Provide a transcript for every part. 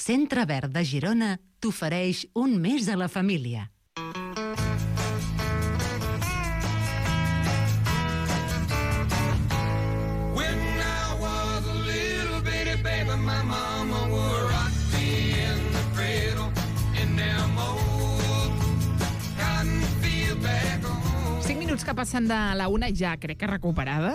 Centre Verd de Girona t'ofereix un mes a la família. Que passen de la una ja crec que recuperada,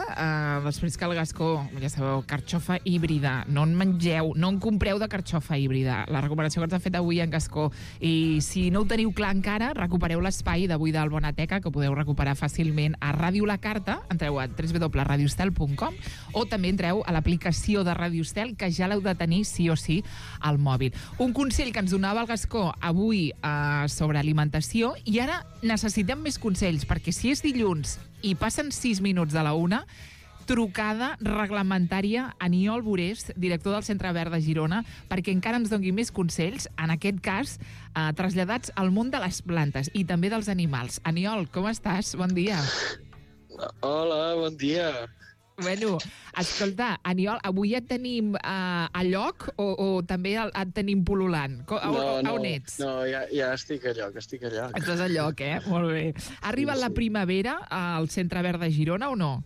després que el Gascó, ja sabeu, carxofa híbrida, no en mengeu, no en compreu de carxofa híbrida, la recuperació que ens ha fet avui en Gascó, i si no ho teniu clar encara, recupereu l'espai d'avui del Bonateca, que podeu recuperar fàcilment a Ràdio La Carta, entreu a www.radiostel.com, o també entreu a l'aplicació de Ràdio Estel, que ja l'heu de tenir sí o sí al mòbil. Un consell que ens donava el Gascó avui sobre alimentació, i ara necessitem més consells, perquè si és dilluns i passen 6 minuts de la una, trucada reglamentària a Aniol Burés, director del Centre Verd de Girona, perquè encara ens doni més consells, en aquest cas traslladats al món de les plantes i també dels animals. Aniol, com estàs? Bon dia. Hola, bon dia. Bueno, escolta, Aniol, avui et tenim a lloc o també et tenim pol·lulant? On ets? No, ja estic a lloc, Estàs a lloc, Molt bé. Ha arribat la primavera al Centre Verd de Girona o no?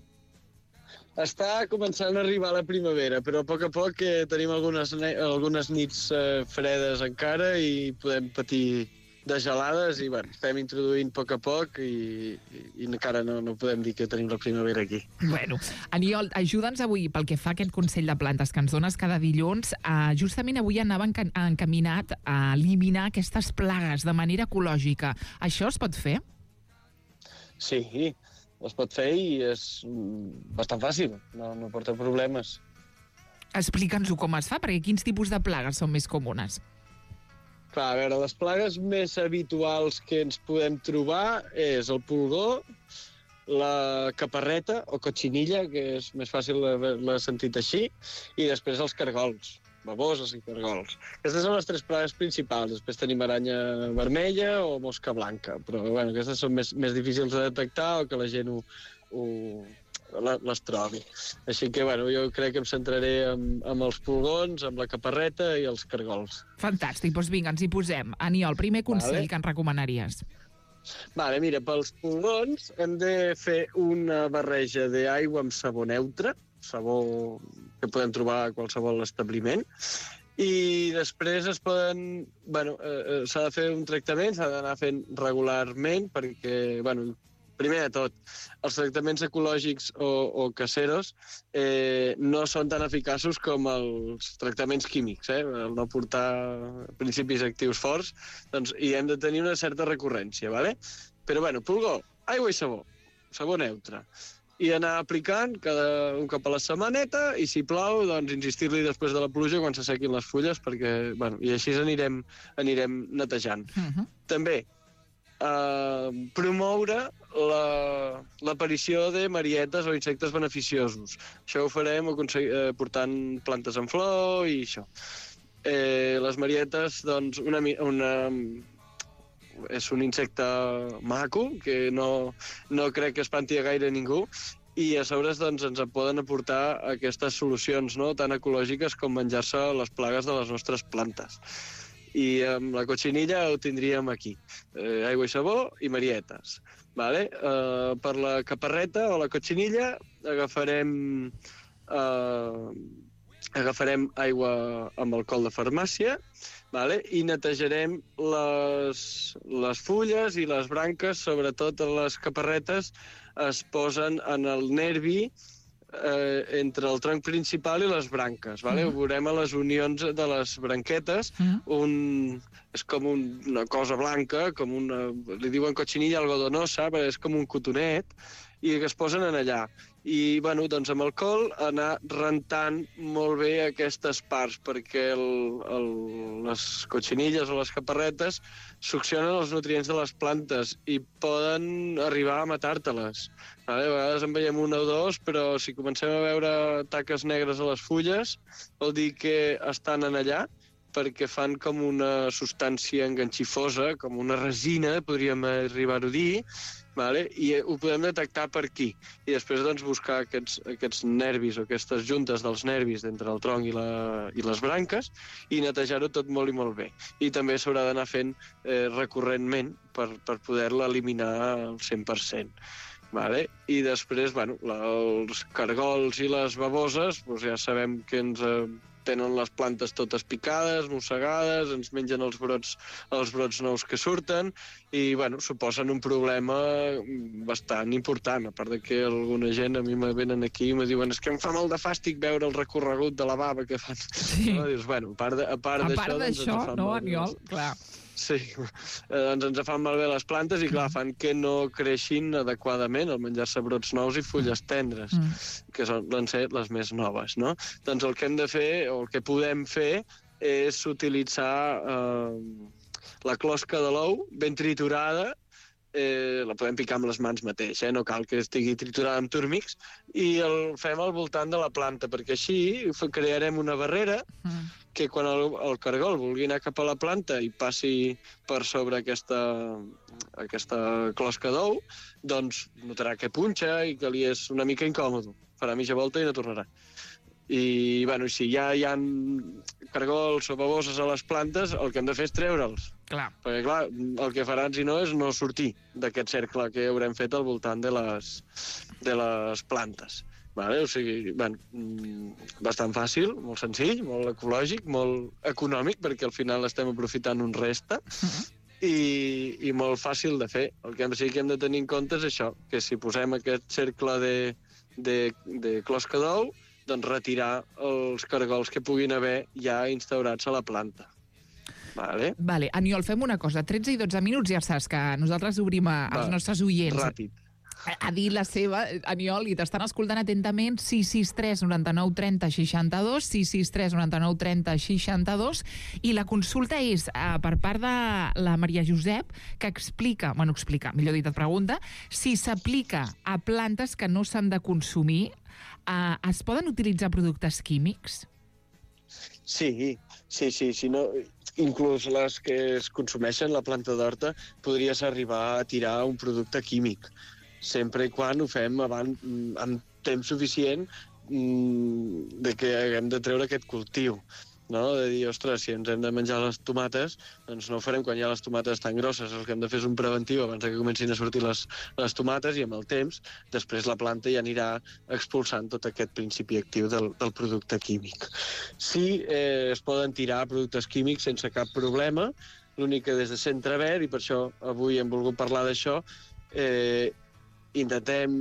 Està començant a arribar la primavera, però a poc tenim algunes nits fredes encara i podem patir de gelades i estem introduint a poc i encara no podem dir que tenim la primavera aquí. Bueno, Aniol, ajuda'ns avui pel que fa a aquest Consell de Plantes que ens dones cada dilluns. Justament avui anava encaminat a eliminar aquestes plagues de manera ecològica. Això es pot fer? Sí, es pot fer i és bastant fàcil, no porta problemes. Explica'ns-ho com es fa, perquè quins tipus de plagues són més comunes? Clar, a veure, les plagues més habituals que ens podem trobar és el pulgó, la caparreta o cotxinilla, que és més fàcil l'ha sentit així, i després els cargols, baboses i cargols. Aquestes són les 3 plagues principals. Després tenim aranya vermella o mosca blanca, però aquestes són més difícils de detectar o que la gent les trobi. Així que, jo crec que em centraré amb els pulgons, amb la caparreta i els cargols. Fantàstic, doncs vinga, ens hi posem. Aniol, primer consell que ens recomanaries. Mira, pels pulgons hem de fer una barreja d'aigua amb sabó neutre, sabó que podem trobar a qualsevol establiment, i després s'ha de fer un tractament, s'ha d'anar fent regularment perquè, primer de tot, els tractaments ecològics o caseros no són tan eficaços com els tractaments químics, el no portar principis actius forts, doncs hi hem de tenir una certa recurrència, ¿vale? Però, pulgó, aigua i sabó neutre, i anar aplicant un cop a la setmaneta, i si plou, doncs insistir-li després de la pluja quan s'assequin les fulles, perquè, i així anirem netejant. També, promoure l'aparició de marietes o insectes beneficiosos. Això ho farem portant plantes en flor i això. Les marietes, doncs, és un insecte maco, que no crec que espanti a gaire ningú, i a sobre doncs, ens poden aportar aquestes solucions tan ecològiques com menjar-se les plagues de les nostres plantes. I amb la cotxinilla ho tindríem aquí. Aigua i sabó i marietes. Vale? Per la caparreta o la cotxinilla agafarem aigua amb alcohol de farmàcia, vale? I netejarem les fulles i les branques, sobretot les caparretes, es posen en el nervi entre el tronc principal i les branques, vale? Ho veurem a les unions de les branquetes, és com una cosa blanca, li diuen cotxinilla algodonosa, però és com un cotonet, i que es posen en allà. I, doncs amb alcohol anar rentant molt bé aquestes parts, perquè les cotxinilles o les caparretes succionen els nutrients de les plantes i poden arribar a matar-te-les. A vegades en veiem una o dos, però si comencem a veure taques negres a les fulles, vol dir que estan en allà, perquè fan com una substància enganxifosa, com una resina, podríem arribar-ho a dir, vale? I ho podem detectar per aquí. I després doncs, buscar aquests nervis o aquestes juntes dels nervis entre el tronc i les branques i netejar-ho tot molt i molt bé. I també s'haurà d'anar fent recurrentment per poder-la eliminar al 100%. Vale? I després, bueno, els cargols i les baboses, doncs ja sabem que ens tenen les plantes totes picades, mossegades, ens mengen els brots nous que surten i, bueno, suposen un problema bastant important, a part de que alguna gent a mi me venen aquí i me diuen és que em fa molt de fàstic veure el recorregut de la bava que fan. Sí. No? Dius, bueno, a part d'això, no, Aniol? Clar. Sí, doncs ens fan malbé les plantes i, clar, fan que no creixin adequadament al menjar-se brots nous i fulles tendres, que van ser les més noves, no? Doncs el que hem de fer, o el que podem fer, és utilitzar la closca de l'ou ben triturada, la podem picar amb les mans mateix, no cal que estigui triturada amb túrmics, i el fem al voltant de la planta, perquè així crearem una barrera que quan el cargol vulgui anar cap a la planta i passi per sobre aquesta closca d'ou, doncs notarà que punxa i que li és una mica incòmode. Farà mitja volta i no tornarà. I, bueno, si ja hi ha cargols o baboses a les plantes, el que hem de fer és treure'ls. Clar. Perquè, clar, el que faran, si no, és no sortir d'aquest cercle que haurem fet al voltant de les plantes. Vale? O sigui, bastant fàcil, molt senzill, molt ecològic, molt econòmic, perquè al final estem aprofitant un resta, i molt fàcil de fer. El que sí que hem de tenir en compte és això, que si posem aquest cercle de closca d'ou, doncs retirar els cargols que puguin haver ja instaurats a la planta. Vale? Aniol, fem una cosa. 13 i 12 minuts, ja saps que nosaltres obrim als nostres oients. Ràpid. A dir la seva, Aniol, i t'estan escoltant atentament. 663 99 30 62, 663 99 30 62, i la consulta és per part de la Maria Josep, que explica, millor dit, et pregunta, si s'aplica a plantes que no s'han de consumir, es poden utilitzar productes químics? Sí. Si no, inclús les que es consumeixen, la planta d'horta, podries arribar a tirar un producte químic, sempre i quan ho fem amb temps suficient de que haguem de treure aquest cultiu, no? De dir, ostres, si ens hem de menjar les tomates, doncs no ho farem quan hi ha les tomates tan grosses. El que hem de fer és un preventiu abans que comencin a sortir les tomates, i amb el temps, després la planta ja anirà expulsant tot aquest principi actiu del producte químic. Sí, es poden tirar productes químics sense cap problema, l'únic que des de Centre Verd, i per això avui hem volgut parlar d'això, intentem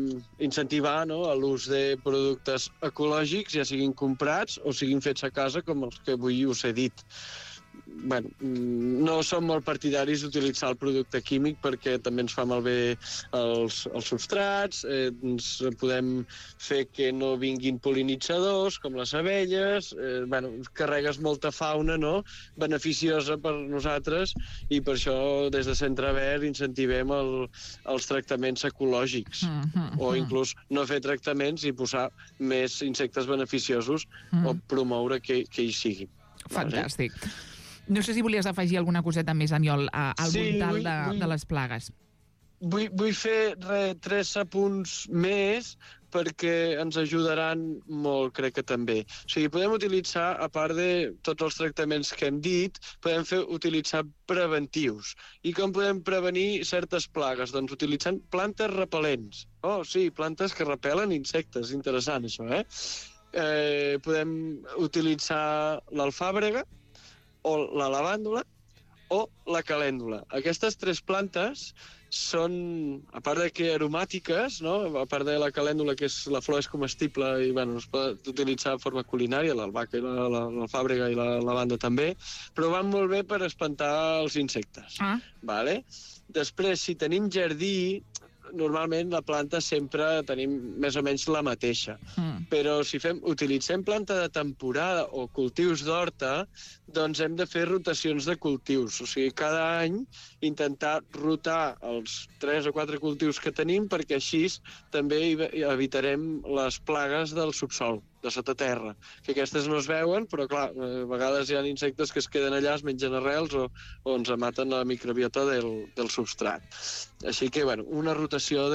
incentivar l'ús de productes ecològics, ja siguin comprats o siguin fets a casa, com els que avui us he dit. No som molt partidaris d'utilitzar el producte químic perquè també ens fa malbé els substrats, ens podem fer que no vinguin pol·linitzadors, com les abelles, carregues molta fauna beneficiosa per nosaltres, i per això des de Centre Verd incentivem els tractaments ecològics, o inclús no fer tractaments i posar més insectes beneficiosos o promoure que hi siguin. Fantàstic. No sé si volies afegir alguna coseta més, Aniol, al voltant de les plagues. Vull fer 3 apunts més perquè ens ajudaran molt, crec que també. O sigui, podem utilitzar, a part de tots els tractaments que hem dit, podem utilitzar preventius. I com podem prevenir certes plagues? Doncs utilitzant plantes repel·lents. Oh, sí, plantes que repel·len insectes. Interessant, això, podem utilitzar l'alfàbrega, o la lavàndula, o la calèndula. Aquestes 3 plantes són, a part de que aromàtiques, a part de la calèndula, que la flor és comestible i es pot utilitzar de forma culinària, l'albahaca i l'alfàbrega i la lavanda també, però van molt bé per espantar els insectes. Vale? Després, si tenim jardí, normalment la planta sempre tenim més o menys la mateixa. Però si utilitzem planta de temporada o cultius d'horta, doncs hem de fer rotacions de cultius. O sigui, cada any intentar rotar els 3 o 4 cultius que tenim, perquè així també evitarem les plagues del subsol. de sota terra, que aquestes no es veuen, però clar, a vegades hi ha insectes que es queden allà, es mengen arrels o ens maten la microbiota del substrat. Així que, bueno, una rotació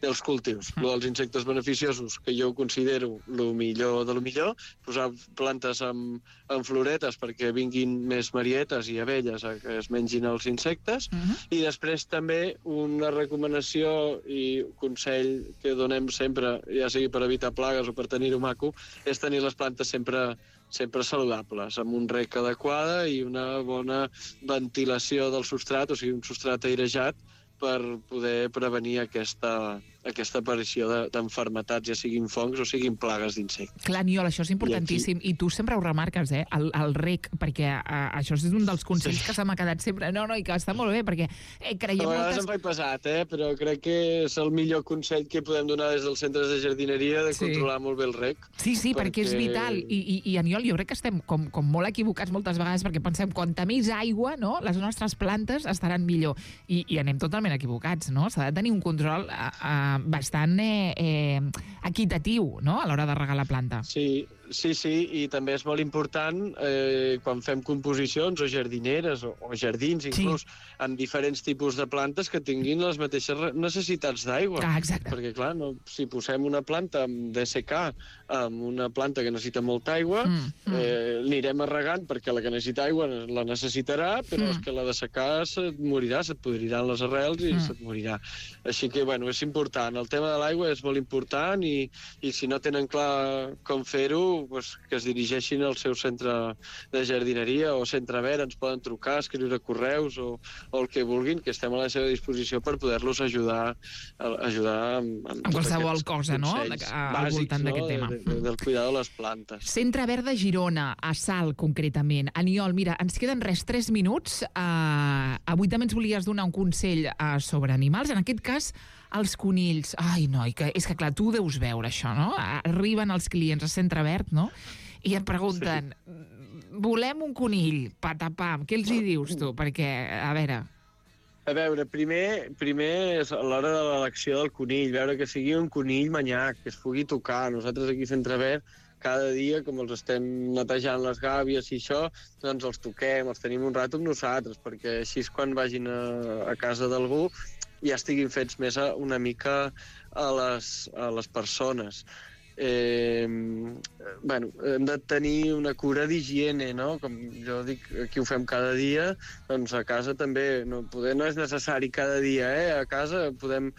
dels cultius. Lo dels insectes beneficiosos, que jo considero el millor de lo millor, posar plantes amb floretes perquè vinguin més marietes i abelles a que es mengin els insectes, i després també una recomanació i consell que donem sempre, ja sigui per evitar plagues o per tenir-ho maco, és tenir les plantes sempre saludables, amb un rec adequada i una bona ventilació del substrat, o sigui, un substrat airejat, per poder prevenir aquesta aparició d'enfermetats, ja siguin fongs o siguin plagues d'insectes. Clar, Aniol, això és importantíssim. I tu sempre ho remarques, el rec, perquè això és un dels consells que se m'ha quedat sempre. No, i que està molt bé, perquè creiem moltes... A vegades em faig pesat, però crec que és el millor consell que podem donar des dels centres de jardineria, de controlar molt bé el rec. Sí, perquè és vital. I Aniol, jo crec que estem com molt equivocats moltes vegades, perquè pensem, quanta més aigua, no?, les nostres plantes estaran millor. I anem totalment equivocats, no? S'ha de tenir un control bastant equitatiu, no?, a l'hora de regar la planta. Sí, i també és molt important quan fem composicions o jardineres o jardins, inclús amb diferents tipus de plantes que tinguin les mateixes necessitats d'aigua. Exacte. Perquè, clar, si posem una planta amb DSK, amb una planta que necessita molta aigua, l'anirem regant perquè la que necessita aigua la necessitarà, però és que la de secar se't morirà, se't podriran les arrels i se't morirà. Així que, bueno, és important. El tema de l'aigua és molt important i si no tenen clar com fer-ho, pues, que es dirigeixin al seu centre de jardineria o centre verd, ens poden trucar, escriure correus o el que vulguin, que estem a la seva disposició per poder-los ajudar amb qualsevol cosa, no?, al voltant d'aquest tema. Del cuidado de les plantes. Centre Verd de Girona, a Salt, concretament. Aniol, mira, ens queden 3 minuts. Avui també ens volies donar un consell sobre animals, en aquest cas els conills. Ai, noi, és que clar, tu ho deus veure, això, no? Arriben els clients a Centre Verd, no?, i em pregunten, volem un conill, patapam, què els hi dius tu? Perquè, a veure, primer és a l'hora de l'elecció del conill, veure que sigui un conill manyac, que es pugui tocar. Nosaltres aquí a Centre Verd, cada dia, com els estem netejant les gàbies i això, doncs els toquem, els tenim un rato amb nosaltres, perquè així quan vagin a casa d'algú ja estiguin fets més una mica a les persones. Bueno, hem de tenir una cura d'higiene, no? Com jo dic, aquí ho fem cada dia, doncs a casa també, no és necessari cada dia, a casa podem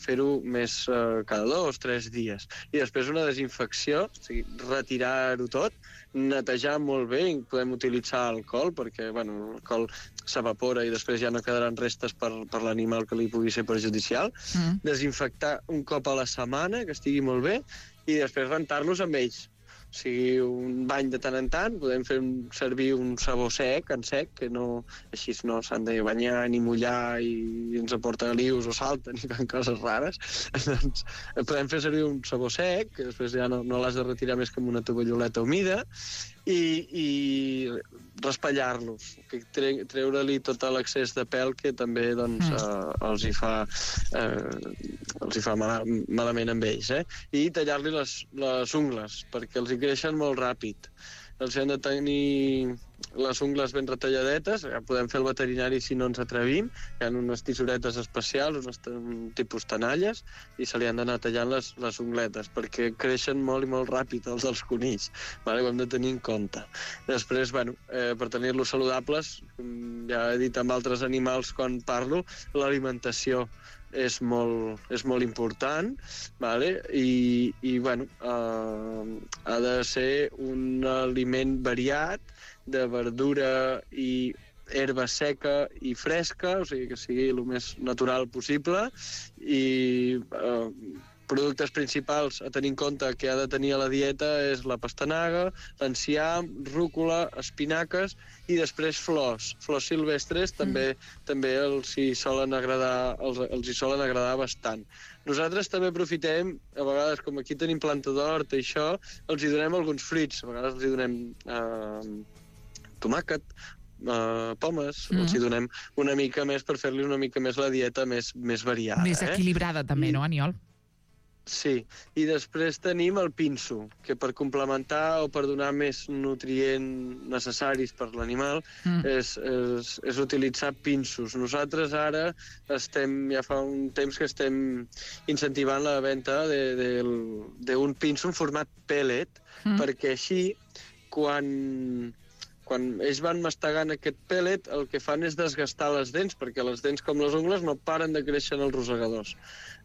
fer-ho més cada 2 o 3 dies. I després una desinfecció, o sigui, retirar-ho tot, netejar molt bé, i podem utilitzar alcohol, perquè l'alcohol s'evapora i després ja no quedaran restes per l'animal que li pugui ser perjudicial. Desinfectar un cop a la setmana, que estigui molt bé, i després rentar-los amb ells. O sigui, un bany de tant en tant, podem fer servir un sabó sec, que no, així no s'han de banyar ni mullar i ens aporta lius o salten i fan coses rares. Doncs podem fer servir un sabó sec, que després ja no l'has de retirar més que amb una tovalloleta humida, i raspallar-los, treure-li tot l'excés de pèl que també els hi fa malament amb ells, i tallar-li les ungles, perquè els hi creixen molt ràpid. Els han de tenir les ungles ben retalladetes, ja podem fer el veterinari si no ens atrevim, hi ha unes tissuretes especials, un tipus tenalles, i se li han d'anar tallant les ungletes, perquè creixen molt i molt ràpid els dels conills, ho hem de tenir en compte. Després, per tenir-los saludables, ja he dit amb altres animals quan parlo, l'alimentació és molt important, i ha de ser un aliment variat, de verdura i herba seca i fresca, o sigui que sigui el més natural possible, i productes principals a tenir en compte que ha de tenir a la dieta és la pastanaga, l'enciam, rúcula, espinaques i després flors silvestres també els hi solen agradar bastant. Nosaltres també aprofitem, a vegades com aquí tenim planta d'hort i això, els hi donem alguns fruits, a vegades els hi donem tomàquet, pomes, els hi donem una mica més per fer-li una mica més la dieta més variada. Més equilibrada també, no, Aniol? Sí, i després tenim el pinso, que per complementar o per donar més nutrients necessaris per l'animal és utilitzar pinsos. Nosaltres ara ja fa un temps que estem incentivant la venda d'un pinso en format pellet, perquè així, quan ells van mastegant aquest pellet, el que fan és desgastar les dents, perquè les dents, com les ungles, no paren de créixer en els rosegadors.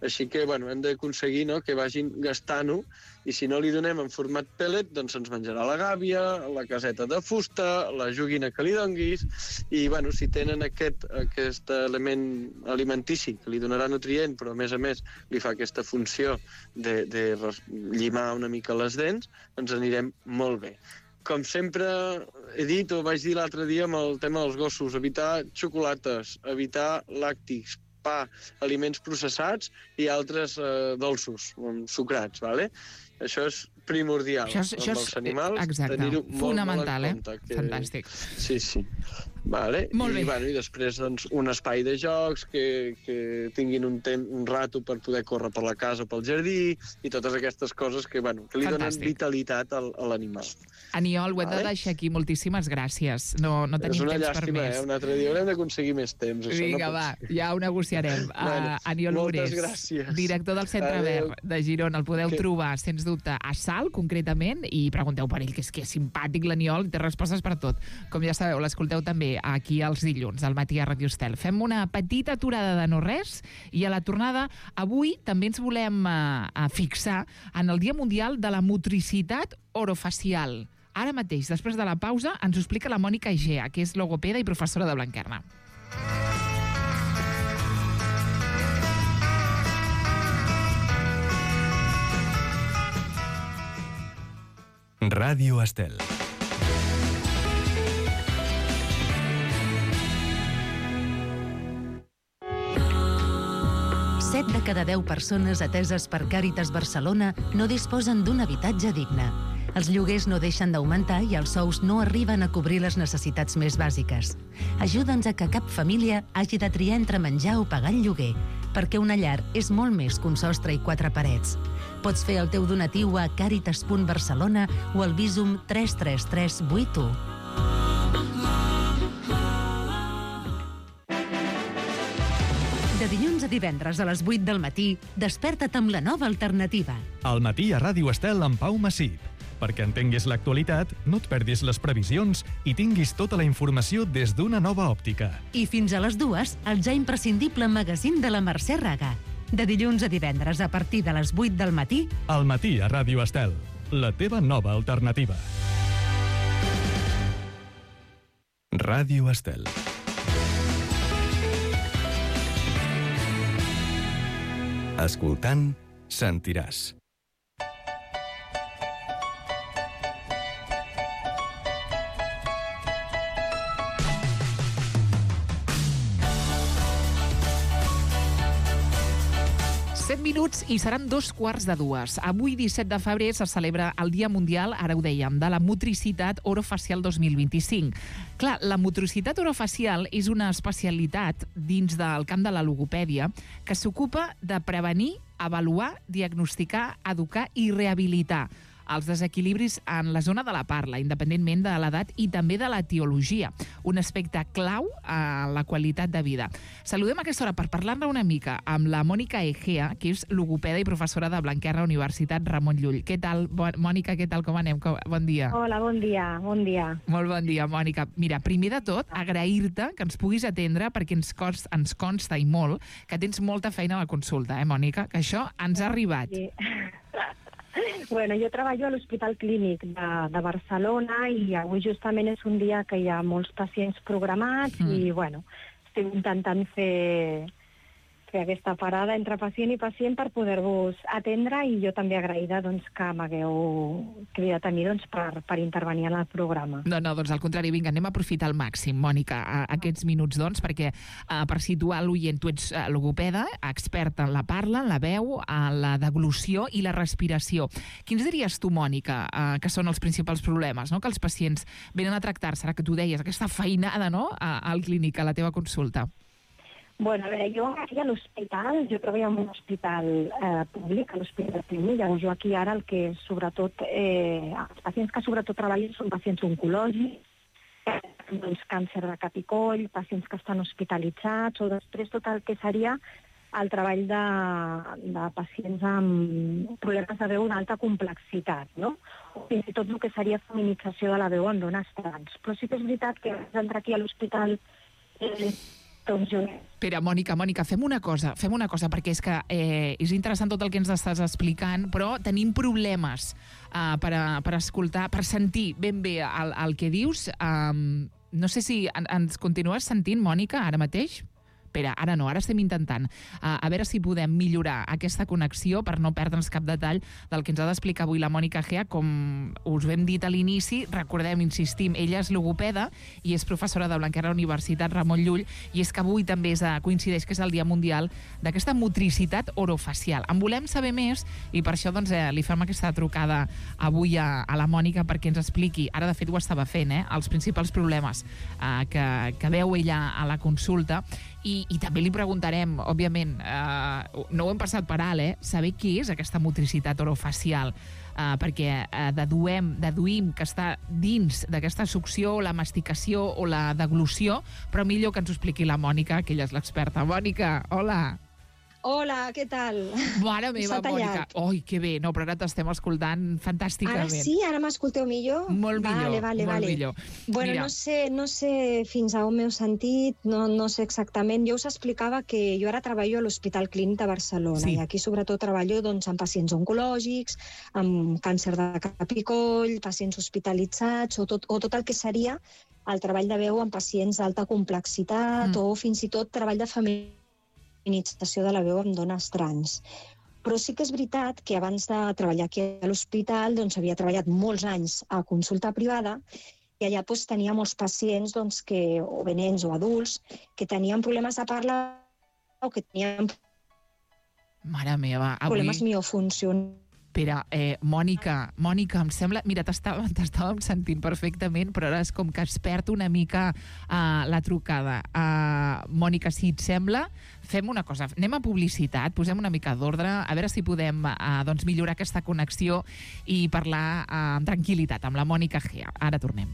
Així que, hem d'aconseguir que vagin gastant-ho, i si no li donem en format pellet, doncs ens menjarà la gàbia, la caseta de fusta, la joguina que li donguis, i, si tenen aquest element alimentici que li donarà nutrient, però, a més, li fa aquesta funció de llimar una mica les dents, ens anirem molt bé. Com sempre he dit, o vaig dir l'altre dia amb el tema dels gossos, evitar xocolates, evitar làctics, pa, aliments processats i altres dolços, sucrats, ¿vale? Això és primordial. Això és animals, tenir-ho molt en compte. Fantàstic. Sí. Vale. Molt bé. I després un espai de jocs que tinguin un rato per poder córrer per la casa o pel jardí i totes aquestes coses que li donen vitalitat a l'animal. Aniol, ho hem de deixar aquí. Moltíssimes gràcies. No tenim temps per més. És una llàstima, un altre dia haurem d'aconseguir més temps. Vinga, va, ja ho negociarem. Aniol Ures, director del Centre Verd de Girona. El podeu trobar, sens dubte, a Salt, concretament, i pregunteu per ell, que és simpàtic l'Aniol, té respostes per tot. Com ja sabeu, l'escolteu també aquí els dilluns, al matí a Ràdio Estel. Fem una petita aturada de no res i a la tornada avui també ens volem fixar en el Dia Mundial de la Motricitat Orofacial. Ara mateix, després de la pausa, ens ho explica la Mònica Egea, que és logopeda i professora de Blanquerna. Ràdio Estel. Set de cada 10 persones ateses per Càritas Barcelona no disposen d'un habitatge digne. Els lloguers no deixen d'augmentar i els sous no arriben a cobrir les necessitats més bàsiques. Ajuda'ns a que cap família hagi de triar entre menjar o pagar el lloguer, perquè una llar és molt més que un sostre i 4 parets. Pots fer el teu donatiu a caritas.barcelona o al Bizum 33381. De dilluns a divendres a les 8 del matí, desperta't amb la nova alternativa. Al matí a Ràdio Estel amb Pau Massip. Perquè entenguis l'actualitat, no et perdis les previsions i tinguis tota la informació des d'una nova òptica. I fins a les 2, el ja imprescindible magazín de la Mercè Raga. De dilluns a divendres a partir de les 8 del matí... Al matí a Ràdio Estel, la teva nova alternativa. Ràdio Estel. Escoltant, sentiràs. Minuts i seran 2:15. Avui, 17 de febrer, se celebra el Dia Mundial, ara ho dèiem, de la Motricitat Orofacial 2025. Clar, la motricitat orofacial és una especialitat dins del camp de la logopèdia que s'ocupa de prevenir, avaluar, diagnosticar, educar i rehabilitar els desequilibris en la zona de la parla, independentment de l'edat i també de l'etiologia, un aspecte clau a la qualitat de vida. Saludem a aquesta hora per parlar-ne una mica amb la Mònica Egea, que és logopeda i professora de Blanquerna, Universitat Ramon Llull. Què tal, Mònica, què tal, com anem? Bon dia. Hola, bon dia. Molt bon dia, Mònica. Mira, primer de tot, agrair-te que ens puguis atendre, perquè ens consta i molt que tens molta feina a la consulta, Mònica? Que això ens ha arribat. Sí. Bueno, jo treballo a l'Hospital Clínic de Barcelona i avui justament és un dia que hi ha molts pacients programats i, bueno, estic intentant fer aquesta parada entre pacient i pacient per poder-vos atendre i jo també agraïda que m'hagueu cridat a mi per intervenir en el programa. No, doncs al contrari, vinga, anem a aprofitar al màxim, Mònica, aquests minuts, perquè per situar l'oient, tu ets logopeda, experta en la parla, en la veu, en la deglució i la respiració. Quins diries tu, Mònica, que són els principals problemes que els pacients venen a tractar-se, ara que tu deies, aquesta feinada al clínic, a la teva consulta? Bueno, a veure, jo aquí a l'hospital, jo treballo en un hospital públic, a l'Hospital Clínic, llavors jo aquí ara el que sobretot, els pacients que sobretot treballen són pacients oncològics, doncs càncer de cap i coll, pacients que estan hospitalitzats, o després tot el que seria el treball de pacients amb problemes de veu d'alta complexitat, no? O fins i tot el que seria feminització de la veu en dones trans. Però sí que és veritat que abans d'entrar aquí a l'hospital Espera, Mònica, fem una cosa, perquè és que és interessant tot el que ens estàs explicant, però tenim problemes per escoltar, per sentir ben bé el que dius. No sé si ens continues sentint, Mònica, ara mateix? Espera, ara no, ara estem intentant a veure si podem millorar aquesta connexió per no perdre'ns cap detall del que ens ha d'explicar avui la Mònica Gea. Com us vam dit a l'inici, recordem, insistim, ella és logopeda i és professora de Blanquerna Universitat Ramon Llull, i és que avui també coincideix que és el Dia Mundial d'aquesta motricitat orofacial. En volem saber més i per això doncs, li fem aquesta trucada avui a la Mònica perquè ens expliqui, ara de fet ho estava fent, els principals problemes que veu ella a la consulta. I també li preguntarem, òbviament, no ho hem passat per alt, saber què és aquesta motricitat orofacial, perquè deduïm que està dins d'aquesta succió, la masticació o la deglució, però millor que ens ho expliqui la Mònica, que ella és l'experta. Mònica, hola! Hola, què tal? Mare meva, Mònica. Oi, que bé. No, però ara t'estem escoltant fantàsticament. Ara sí? Ara m'escolteu millor? Molt millor, molt millor. Bueno, no sé fins a on m'heu sentit, no sé exactament. Jo us explicava que jo ara treballo a l'Hospital Clínic de Barcelona, i aquí sobretot treballo amb pacients oncològics, amb càncer de cap i coll, pacients hospitalitzats, o tot el que seria el treball de veu amb pacients d'alta complexitat, o fins i tot treball de feminització de la veu amb dones trans. Però sí que és veritat que abans de treballar aquí a l'hospital doncs havia treballat molts anys a consulta privada i allà doncs, tenia molts pacients doncs, o bé nens o adults que tenien problemes de parla o que tenien problemes miofuncionals. Espera, Mònica, em sembla... Mira, t'estàvem sentint perfectament, però ara és com que es perd una mica la trucada. Mònica, si et sembla, fem una cosa. Anem a publicitat, posem una mica d'ordre, a veure si podem millorar aquesta connexió i parlar amb tranquil·litat amb la Mònica Gea. Ara tornem.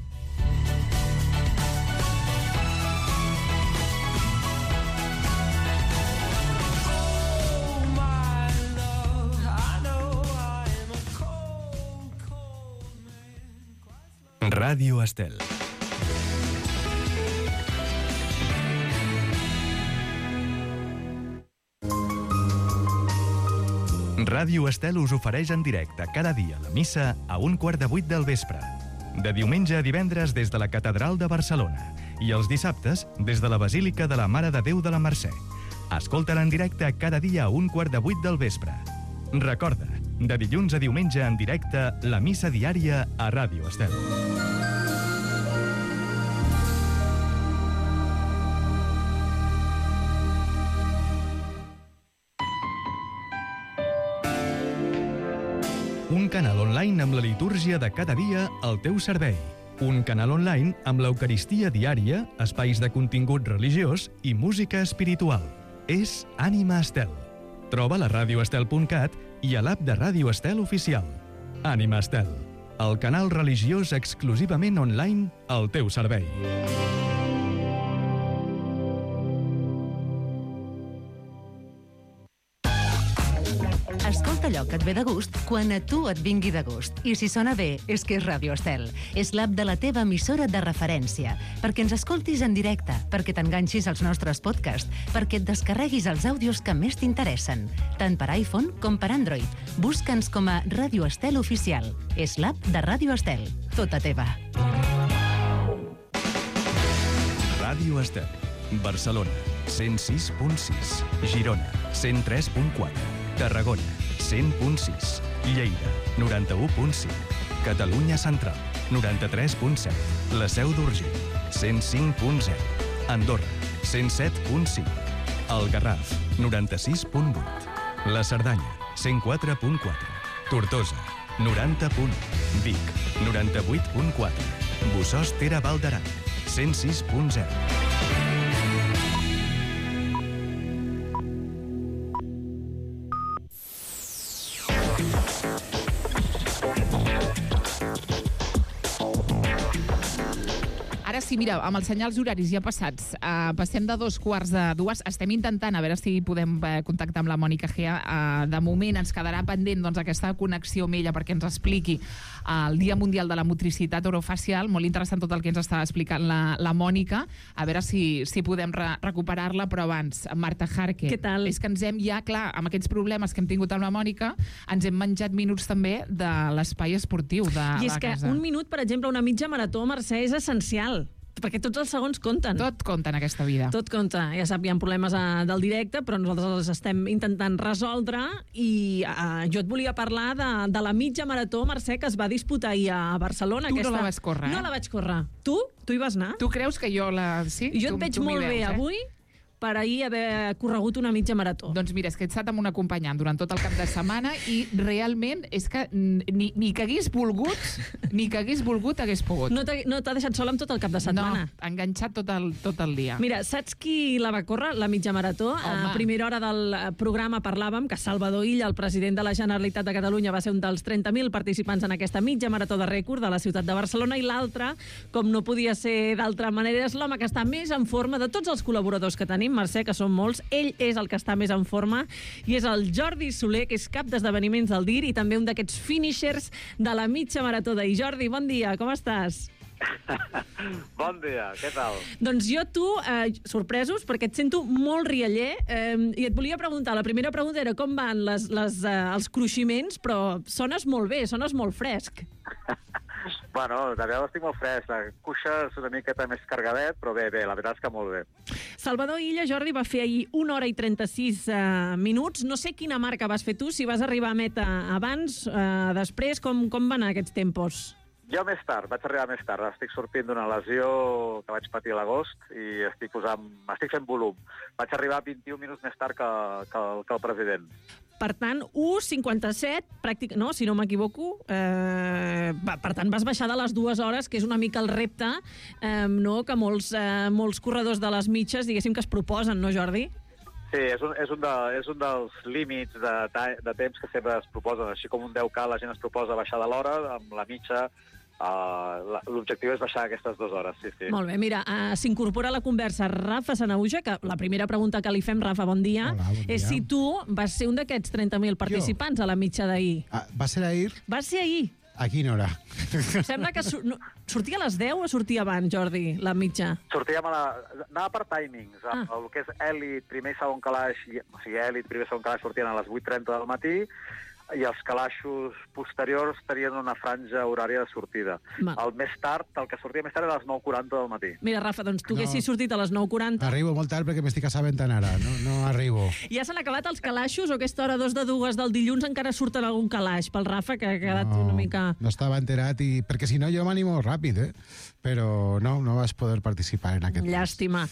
Ràdio Estel. Ràdio Estel us ofereix en directe cada dia la missa a 7:15 del vespre. De diumenge a divendres des de la Catedral de Barcelona i els dissabtes des de la Basílica de la Mare de Déu de la Mercè. Escolta-la en directe cada dia a 7:15 del vespre. Recorda, de dilluns a diumenge en directe, la missa diària a Ràdio Estel. Un canal online amb la litúrgia de cada dia al teu servei. Un canal online amb l'Eucaristia diària, espais de contingut religiós i música espiritual. És Ànima Estel. Troba la radioestel.cat i a l'app de Ràdio Estel oficial. Ànima Estel, el canal religiós exclusivament online al teu servei. Escolta allò que et ve de gust quan a tu et vingui de gust. I si sona bé, és que és Ràdio Estel. És l'app de la teva emissora de referència. Perquè ens escoltis en directe, perquè t'enganxis als nostres podcasts, perquè et descarreguis els àudios que més t'interessen. Tant per iPhone com per Android. Busca'ns com a Ràdio Estel Oficial. És l'app de Ràdio Estel. Tota teva. Ràdio Estel. Barcelona, 106.6. Girona, 103.4. Tarragona, 100.6. Lleida, 91.5. Catalunya Central, 93.7. La Seu d'Urgell, 105.0. Andorra, 107.5. El Garraf, 96.8. La Cerdanya, 104.4. Tortosa, 90.1. Vic, 98.4. Bossòst Val d'Aran, 106.0. Ara sí, mira, amb els senyals horaris ja passats, passem de 2:15, estem intentant a veure si podem contactar amb la Mònica Gea. De moment ens quedarà pendent aquesta connexió amb ella perquè ens expliqui el Dia Mundial de la Motricitat Orofacial. Molt interessant tot el que ens està explicant la Mònica. A veure si podem recuperar-la, però abans, Marta Jarque. Què tal? És que ens hem ja, clar, amb aquests problemes que hem tingut amb la Mònica, ens hem menjat minuts també de l'espai esportiu de la casa. I és que un minut, per exemple, una mitja marató, Mercè, és essencial, perquè tots els segons compten. Tot compta en aquesta vida. Tot compta. Ja sap, hi ha problemes del directe, però nosaltres els estem intentant resoldre i jo et volia parlar de la mitja marató, Mercè, que es va disputar ahir a Barcelona. Tu no la vas córrer, No la vaig córrer. Tu hi vas anar? Tu creus que jo la... Sí? Jo et veig molt bé avui per ahir haver corregut una mitja marató. Doncs mira, és que he estat amb un acompanyant durant tot el cap de setmana i realment és que ni que hagués volgut hagués pogut. No t'ha deixat sola amb tot el cap de setmana? No, enganxat tot el dia. Mira, saps qui la va córrer, la mitja marató? A primera hora del programa parlàvem que Salvador Illa, el president de la Generalitat de Catalunya, va ser un dels 30.000 participants en aquesta mitja marató de rècord de la ciutat de Barcelona, i l'altre, com no podia ser d'altra manera, és l'home que està més en forma de tots els col·laboradors que tenim, Mercè, que són molts. Ell és el que està més en forma i és el Jordi Soler, que és cap d'esdeveniments del DIR i també un d'aquests finishers de la mitja marató d'ahir. Jordi, bon dia, com estàs? Bon dia, què tal? Doncs jo, sorpresos, perquè et sento molt rialler, i et volia preguntar, la primera pregunta era com van els cruiximents, però sones molt bé, sones molt fresc. Bueno, de vegades estic molt fresc, la cuixa és una miqueta més cargadet, però bé, la veritat és que molt bé. Salvador Illa, Jordi, va fer ahir 1 hora i 36 minuts. No sé quina marca vas fer tu, si vas arribar a meta abans, després, com van anar aquests tempos? Jo més tard, vaig arribar més tard. Estic sortint d'una lesió que vaig patir a l'agost i estic fent volum. Vaig arribar 21 minuts més tard que el president. Per tant, 1:57, no, si no m'equivoco, per tant vas baixar de les 2 hores, que és una mica el repte que molts corredors de les mitges, diguéssim, que es proposen, no, Jordi? Sí, és un dels límits de temps que sempre es proposen. Així com un 10K la gent es proposa baixar de l'hora, amb la mitja l'objectiu és baixar aquestes 2 hores, sí. Molt bé, mira, s'incorpora a la conversa Rafa Sanahuja, que la primera pregunta que li fem, Rafa, bon dia, és si tu vas ser un d'aquests 30.000 participants a la mitja d'ahir. ¿Va a ser ahir? Va ser ahir. ¿A quina hora? Sembla que sortia a les 10 o sortia abans, Jordi, la mitja? Anava per timings. El que és èlit, primer i segon calaix, o sigui, èlit, primer i segon calaix sortien a les 8:30 del matí, i els calaixos posteriors tenien una franja horària de sortida. El que sortia més tard era a les 9:40 del matí. Mira, Rafa, doncs tu haguessis sortit a les 9:40. Arribo molt tard perquè m'estic assabentant ara, no arribo. Ja s'han acabat els calaixos o aquesta hora 2:02 del dilluns encara surten algun calaix pel Rafa, que ha quedat una mica... No estava enterat, perquè si no jo m'animo ràpid, però no vas poder participar en aquest Llàstima.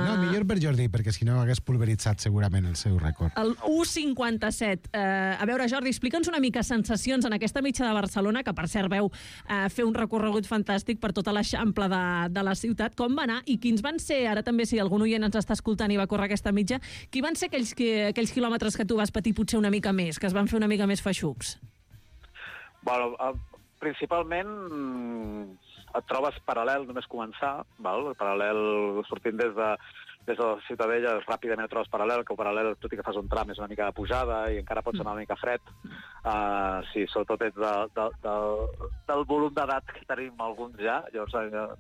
No, millor per Jordi, perquè si no hagués pulveritzat segurament el seu rècord. El 1:57. A veure, Jordi, explica'ns una mica sensacions en aquesta mitja de Barcelona, que per cert veu fer un recorregut fantàstic per tota l'eixample de la ciutat. Com va anar i quins van ser, ara també si algun oient ens està escoltant i va córrer aquesta mitja, qui van ser aquells quilòmetres que tu vas patir potser una mica més, que es van fer una mica més feixucs? Bueno, principalment et trobes paral·lel només començar, paral·lel sortint des de la Ciutadella, ràpidament et trobes paral·lel, que paral·lel, tot i que fas un tram, és una mica de pujada i encara pots anar una mica fred. Sí, sobretot ets del volum d'edat que tenim alguns ja, llavors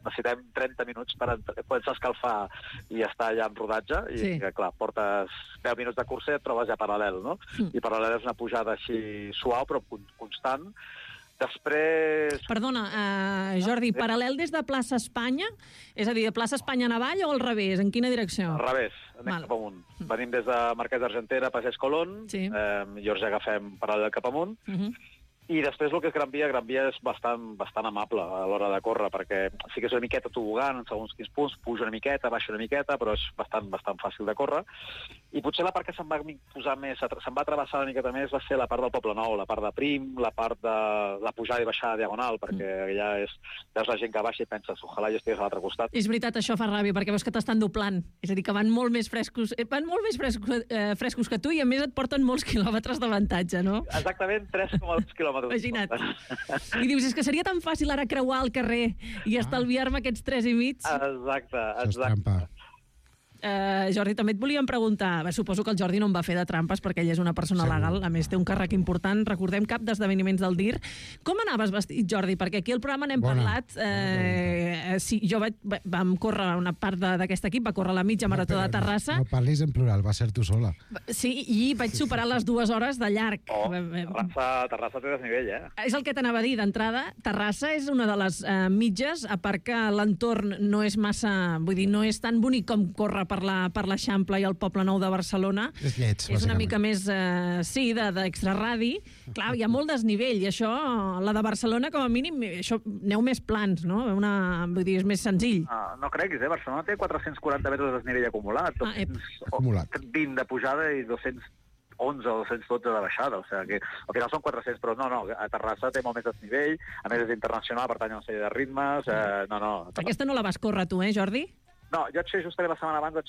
necessitem 30 minuts per poder escalfar i estar ja en rodatge, i clar, portes 10 minuts de cursa i et trobes ja paral·lel, no? I paral·lel és una pujada així suau però constant. Després... Perdona, Jordi, paral·lel des de Plaça Espanya? És a dir, de Plaça Espanya en avall o al revés? En quina direcció? Al revés, anem cap amunt. Venim des de Marquès d'Argentera, Passeig Colón, llavors ja agafem paral·lel cap amunt, i després el que és Gran Via és bastant amable a l'hora de córrer, perquè sí que és una miqueta tobogant en segons quins punts, puja una miqueta, baixa una miqueta, però és bastant fàcil de córrer. I potser la part que se'm va travessar una miqueta més va ser la part del Poble Nou, la part de Prim, la part de la pujada i baixada diagonal, perquè ja veus la gent que baixa i penses, ojalà jo estigués a l'altre costat. És veritat, això fa ràbia, perquè veus que t'estan doblant. És a dir, que van molt més frescos que tu i a més et porten molts quilòmetres d'avantatge, no? Exactament, 3,2 quilòmetres Imagina't. I dius, és que seria tan fàcil ara creuar el carrer i estalviar-me aquests 3,5. Exacte. Això és trampa. Jordi, també et volíem preguntar, suposo que el Jordi no en va fer de trampes perquè ell és una persona legal, a més té un càrrec important, recordem, cap d'esdeveniments del DIR. Com anaves vestit, Jordi? Perquè aquí al programa n'hem parlat. Sí, jo vam córrer una part d'aquest equip, va córrer la mitja marató de Terrassa. No parlis en plural, va ser tu sola. Sí, i vaig superar les 2 hores de llarg. Terrassa té desnivell, És el que t'anava a dir d'entrada. Terrassa és una de les mitges, a part que l'entorn no és massa, vull dir, no és tan bonic com córrer per l'Eixample i el Poble Nou de Barcelona. És lleig, és una mica més, sí, d'extraradi. Clar, hi ha molt desnivell, i això, la de Barcelona, com a mínim, això, aneu més plans, no? Vull dir, és més senzill. No creguis, Barcelona té 440 metres de desnivell acumulat. Acumulat. 20 de pujada i 211 o 212 de baixada, o sigui que al final són 400, però no, a Terrassa té molt més desnivell, a més és internacional, pertany a una sèrie de ritmes, Aquesta no la vas córrer tu, Jordi? No, jo vaig fer justament la setmana abans, 2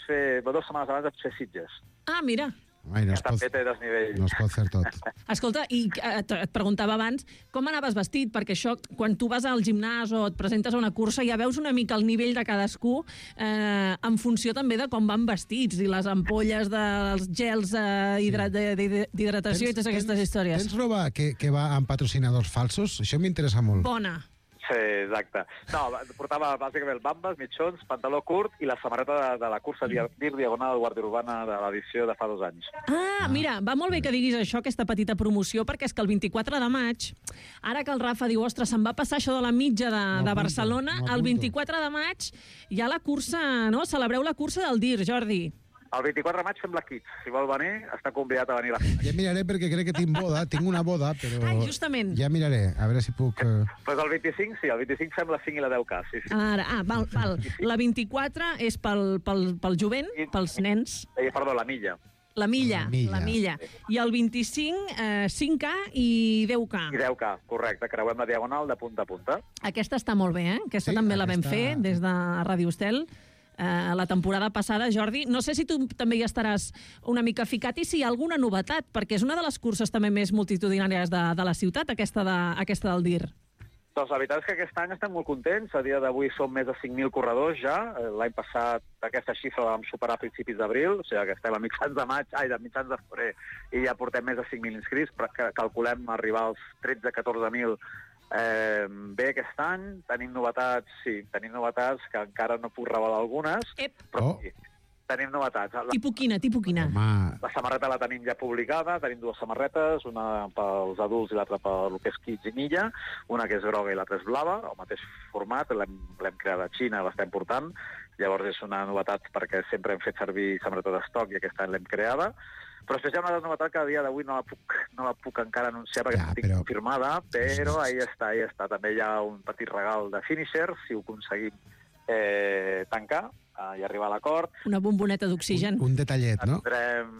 setmanes abans vaig fer Sitges. Ah, mira. També té desnivell. No es pot fer tot. Escolta, i et preguntava abans, com anaves vestit? Perquè això, quan tu vas al gimnàs o et presentes a una cursa, ja veus una mica el nivell de cadascú en funció també de com van vestits i les ampolles dels gels d'hidratació i totes aquestes històries. Tens roba que va amb patrocinadors falsos? Això m'interessa molt. Bona. Sí, exacte. No, portava bàsicament bambes, mitjons, pantaló curt i la samarreta de la cursa DIR Diagonal Guàrdia Urbana de l'edició de fa 2 anys. Mira, va molt bé que diguis això, aquesta petita promoció, perquè és que el 24 de maig, ara que el Rafa diu, ostres, se'n va passar això de la mitja de Barcelona, el 24 de maig hi ha la cursa, no? Celebreu la cursa del DIR, Jordi. El 24 de maig fem la Kids. Si vol venir, està convidat a venir a la Kids. Ja miraré perquè crec que tinc una boda, però... justament. Ja miraré, a veure si puc... Pues el 25, sí, el 25 fem la 5 i la 10K, sí. Val. La 24 és pel jovent, pels nens. Perdó, la milla. La milla. I el 25, 5K i 10K. I 10K, correcte. Creuem la diagonal de punta a punta. Aquesta està molt bé, Aquesta també la vam fer des de Ràdio Estel. La temporada passada, Jordi. No sé si tu també hi estaràs una mica ficat i si hi ha alguna novetat, perquè és una de les curses també més multitudinàries de la ciutat, aquesta del DIR. Doncs la veritat és que aquest any estem molt contents. A dia d'avui som més de 5.000 corredors ja. L'any passat aquesta xifra la vam superar a principis d'abril, o sigui que estem a mitjans de febrer, i ja portem més de 5.000 inscrits, però calculem arribar als 13-14.000 bé aquest any. Tenim novetats que encara no puc revelar algunes, però sí, tenim novetats. Tipus quina? La samarreta la tenim ja publicada, tenim 2 samarretes, una pels adults i l'altra pel que és Kids i Milla, una que és groga i l'altra és blava, el mateix format, l'hem creat a Xina, l'estem portant, llavors és una novetat perquè sempre hem fet servir samarreta d'estoc i aquest any l'hem creada. Però després hi ha una novetat que a dia d'avui no la puc encara anunciar perquè no estic confirmada, però ahí està. També hi ha un petit regal de finisher, si ho aconseguim tancar i arribar a l'acord. Una bomboneta d'oxigen. Un detallet, no? Tindrem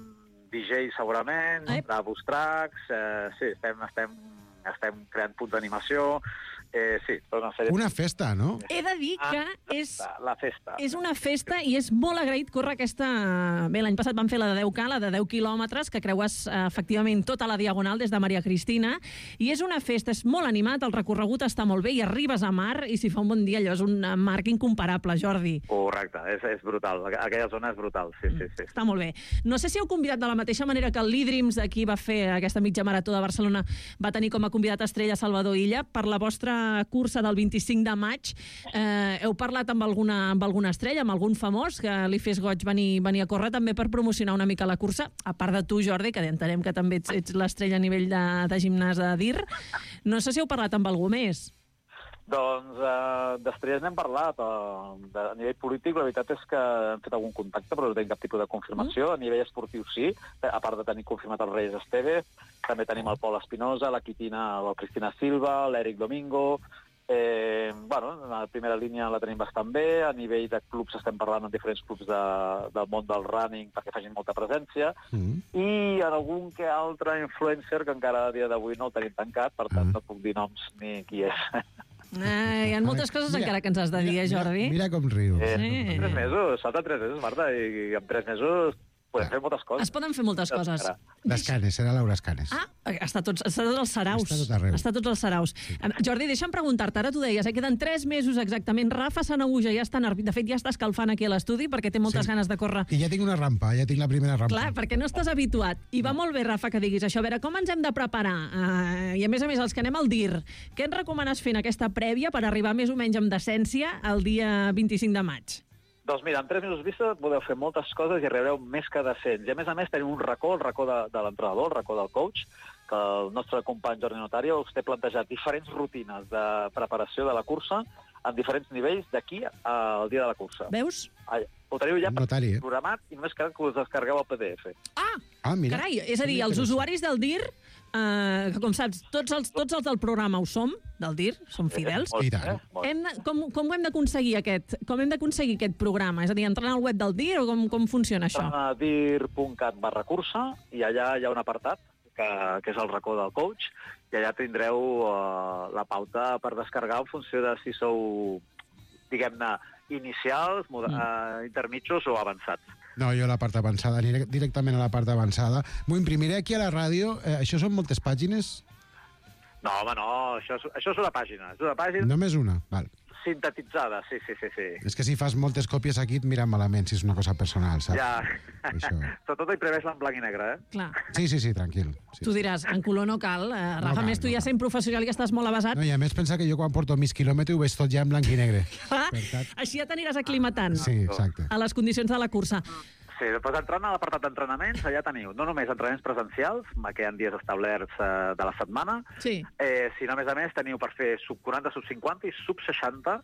DJ segurament, boost tracks, sí, estem creant punts d'animació, sí, tota una sèrie... Una festa, no? He de dir que la festa. És una festa i és molt agraït córrer aquesta... Bé, l'any passat vam fer la de 10K, la de 10 quilòmetres, que creues efectivament tota la diagonal des de Maria Cristina, i és una festa, és molt animat, el recorregut està molt bé, i arribes a mar, i si fa un bon dia, allò és un marc incomparable, Jordi. Correcte, és brutal, aquella zona és brutal, sí. Està molt bé. No sé si heu convidat de la mateixa manera que el Lidrims, d'aquí va fer aquesta mitja marató de Barcelona, va tenir com a convidat estrella Salvador Illa, per la vostra cursa del 25 de maig. Heu parlat amb alguna estrella, amb algun famós que li fes goig venir a córrer també per promocionar una mica la cursa, a part de tu, Jordi, que entenem que també ets l'estrella a nivell de gimnàs de DIR. No sé si heu parlat amb algú més. Doncs després n'hem parlat. A nivell polític, la veritat és que hem fet algun contacte, però no tenim cap tipus de confirmació. A nivell esportiu sí, a part de tenir confirmat el Reyes Esteve, també tenim el Pol Espinosa, la Cristina Silva, l'Eric Domingo. Bueno, la primera línia la tenim bastant bé. A nivell de clubs estem parlant amb diferents clubs del món del running perquè facin molta presència. I en algun que altre influencer que encara a dia d'avui no el tenim tancat, per tant no puc dir noms ni qui és. Hi ha moltes coses encara que ens has de dir, Jordi. Mira com riu. 3 mesos, falta 3 mesos, Marta, i en 3 mesos Podem fer moltes coses. Es poden fer moltes coses. L'Escanes, serà Laura Escanes. Està tots els saraus. Està tot arreu. Està tots els saraus. Jordi, deixa'm preguntar-te, ara tu deies, queden 3 mesos exactament. Rafa Sanahuja ja està nerviós. De fet, ja està escalfant aquí a l'estudi perquè té moltes ganes de córrer. I ja tinc una rampa, ja tinc la primera rampa. Clar, perquè no estàs habituat. I va molt bé, Rafa, que diguis això. A veure, com ens hem de preparar? I a més, els que anem al DIR, què ens recomanes fer en aquesta prèvia per arribar més o menys amb decència el dia 25 de maig? Doncs mira, en 3 mesos vista podeu fer moltes coses i arribareu més que decents. I a més tenim un racó, el racó de l'entrenador, el racó del coach, que el nostre company Jordi Notario us té plantejat diferents rutines de preparació de la cursa en diferents nivells d'aquí al dia de la cursa. Veus? Ho teniu ja programat i només cal que us descarregueu el PDF. Mira. Carai, és a dir, els usuaris del DIR, que com saps, tots els del programa ho som, del DIR, som fidels. Com hem d'aconseguir aquest programa? És a dir, entrant al web del DIR o com funciona això? Entrant a dir.cat/cursa i allà hi ha un apartat que és el racó del coach i allà tindreu la pauta per descarregar en funció de si sou, diguem-ne, inicials, intermitjos o avançats. No, jo a la part avançada, aniré directament a la part avançada. M'ho imprimiré aquí a la ràdio. Això són moltes pàgines? No, home, no, això és una pàgina. És una pàgina... Només una? Val. Sintetitzada, sí. És que si fas moltes còpies aquí et miren malament, si és una cosa personal, saps? Ja. Sobretot imprimeix-la en blanc i negre, Clar. Sí, tranquil. Tu diràs, en color no cal. Rafa, més tu ja sent professional i estàs molt avasat. No, i a més pensa que jo quan porto mig quilòmetre ho veig tot ja en blanc i negre. Així ja t'aniràs aclimatant a les condicions de la cursa. Sí, després entrant a l'apartat d'entrenaments, allà teniu no només entrenaments presencials, que hi ha dies establerts de la setmana, sinó a més teniu per fer sub 40, sub 50 i sub 60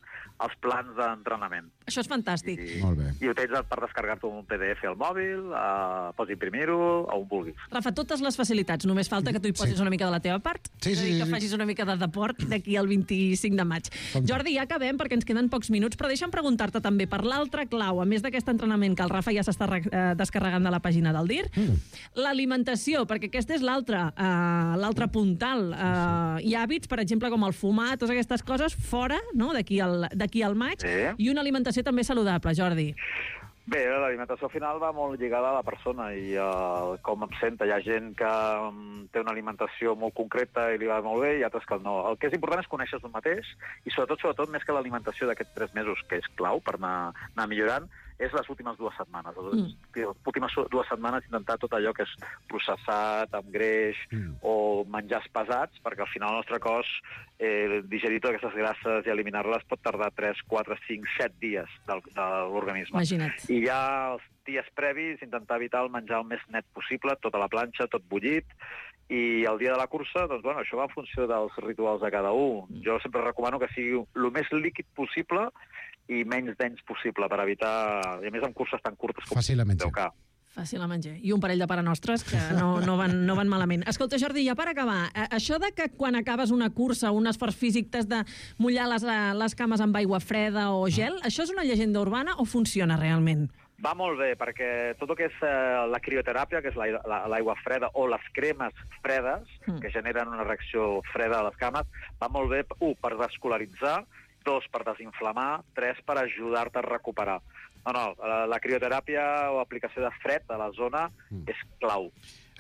els plans d'entrenament. Això és fantàstic. Molt bé. I ho tens per descarregar-te un PDF al mòbil, pots imprimir-ho, on vulguis. Rafa, totes les facilitats, només falta que tu hi posis una mica de la teva part, que facis una mica de deport d'aquí al 25 de maig. Jordi, ja acabem perquè ens queden pocs minuts, però deixa'm preguntar-te també per l'altra clau, a més d'aquest entrenament que el Rafa ja s'està descarregant de la pàgina del DIR, l'alimentació, perquè aquesta és l'altre puntal. Hi ha hàbits, per exemple, com el fumar, totes aquestes coses, fora, no?, d'aquí al maig, i una alimentació també saludable, Jordi. Bé, l'alimentació al final va molt lligada a la persona i com em senta. Hi ha gent que té una alimentació molt concreta i li va molt bé i altres que no. El que és important és conèixer-se un mateix i sobretot, més que l'alimentació d'aquests 3 mesos, que és clau per anar millorant, és les últimes 2 setmanes. Les últimes 2 setmanes intentar tot allò que és processat, amb greix o menjars pesats, perquè al final el nostre cos digerir totes aquestes grasses i eliminar-les pot tardar 3, 4, 5, 7 dies de l'organisme. Imagina't. I ja els dies previs intentar evitar el menjar el més net possible, tota la planxa, tot bullit, i el dia de la cursa, doncs, bueno, això va en funció dels rituals de cada un. Jo sempre recomano que sigui el més líquid possible i menys dens possible per evitar, i a més amb curses tan curtes com fàcil a menjar. Fàcil a menjar. I un parell de parenostres que no van malament. Escolta, Jordi, ja per acabar, això de que quan acabes una cursa o un esforç físic t'has de mullar les cames amb aigua freda o gel, això és una llegenda urbana o funciona realment? Va molt bé, perquè tot el que és la crioteràpia, que és l'aigua freda, o les cremes fredes, que generen una reacció freda a les cames, va molt bé, 1, per descolaritzar, 2, per desinflamar, 3, per ajudar-te a recuperar. No, la crioteràpia o aplicació de fred a la zona és clau.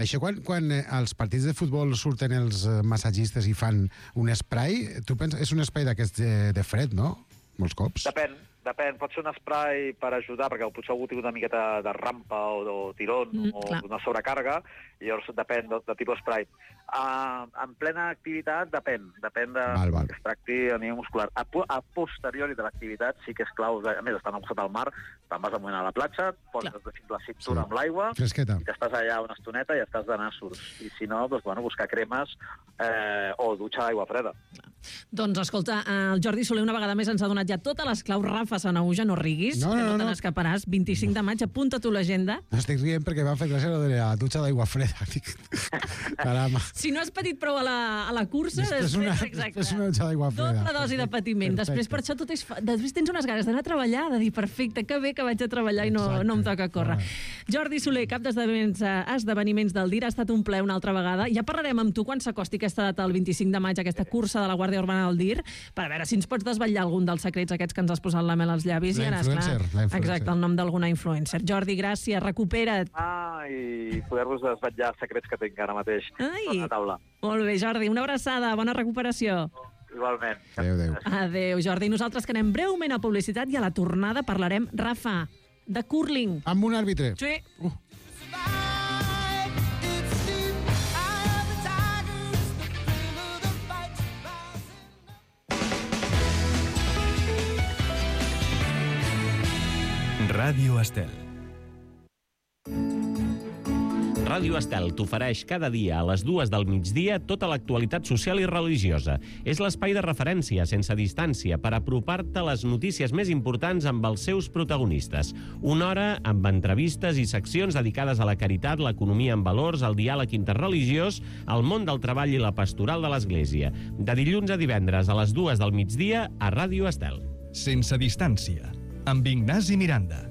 Això quan als partits de futbol surten els massatgistes i fan un spray, tu penses, és un spray d'aquests de fred, no? Molts cops. Depèn, pot ser un spray per ajudar, perquè potser algú té una miqueta de rampa o tirón o una sobrecàrrega, i llavors depèn del tipus spray. En plena activitat depèn de que es tracti a nivell muscular. A posteriori de l'activitat sí que és clau, a més estant al costat del mar, te'n vas amunt a la platja, poses fins la cintura amb l'aigua i t'estàs allà una estoneta i estàs de nassos. I si no, doncs, buscar cremes o dutxa d'aigua freda. Doncs escolta, el Jordi Soler una vegada més ens ha donat ja totes les claus. Rafa Sanahuja, no riguis, que no te n'escaparàs. 25 de maig, apunta tu l'agenda. No estic rient perquè m'ha fet gràcia lo de la dutxa d'aigua freda. Caramba. Si no has patit prou a la cursa, després una dutxa d'aigua freda. Doble dosi de patiment. Després per això després tens unes ganes d'anar a treballar, de dir, perfecte, que bé que vaig a treballar i no em toca córrer. Jordi Soler, cap d'esdeveniments del DIR, ha estat un plaer una altra vegada. Ja parlarem amb tu quan s'acosti aquesta data, el 25 de maig, aquesta cursa de la Guàrdia Urbana del DIR, per veure si ens pots desvetllar algun dels secrets aquests que ens has posat la mel als llavis i ara, esclar, exacte, el nom d'alguna influencer. Jordi, gràcies, recupera't. I poder-vos desvetllar secrets que tinc ara mateix a la taula. Molt bé, Jordi, una abraçada, bona recuperació. Igualment. Adéu. Adéu, Jordi. Nosaltres que anem breument a publicitat i a la tornada parlarem, Rafa, de curling. Amb un àrbitre. Sí. Ràdio Estel. Ràdio Estel t'ofereix cada dia a les 2 del migdia tota l'actualitat social i religiosa. És l'espai de referència sense distància per apropar-te a les notícies més importants amb els seus protagonistes. Una hora amb entrevistes i seccions dedicades a la caritat, l'economia en valors, el diàleg interreligiós, el món del treball i la pastoral de l'Església. De dilluns a divendres a les 2 del migdia a Ràdio Estel. Sense distància, amb Ignasi Miranda.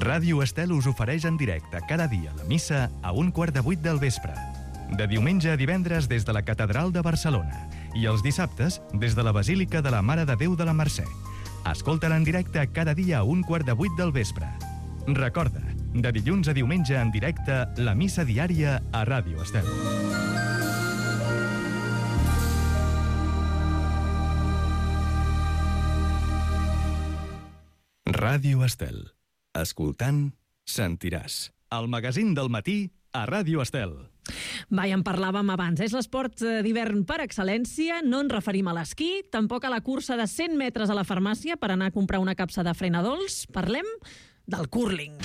Ràdio Estel us ofereix en directe cada dia la missa a 7:15 del vespre. De diumenge a divendres des de la Catedral de Barcelona i els dissabtes des de la Basílica de la Mare de Déu de la Mercè. Escolta-la en directe cada dia a 7:15 del vespre. Recorda, de dilluns a diumenge en directe, la missa diària a Ràdio Estel. Ràdio Estel. Escoltant, sentiràs. El magazín del matí a Ràdio Estel. Va, ja en parlàvem abans. És l'esport d'hivern per excel·lència. No ens referim a l'esquí, tampoc a la cursa de 100 metres a la farmàcia per anar a comprar una capsa de frenadols. Parlem del curling.